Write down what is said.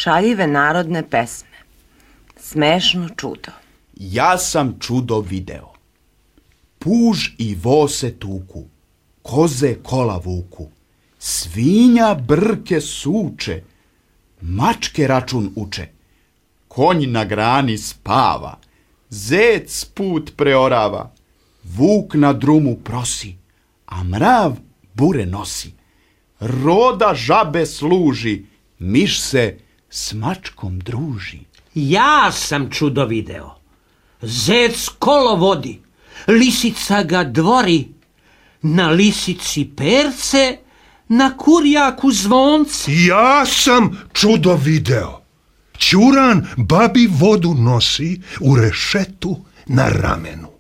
Šaljive narodne pesme. Smešno čudo. Ja sam čudo video. Puž i vo se tuku, koze kola vuku, svinja brke suče, mačke račun uče, konj na grani spava, zec put preorava, vuk na drumu prosi, a mrav bure nosi. Roda žabe služi, miš se s mačkom druži. Ja sam čudo video. Zec kolo vodi, lisica ga dvori, na lisici perce, na kurjaku zvonce. Ja sam čudo video. Ćuran babi vodu nosi u rešetu na ramenu.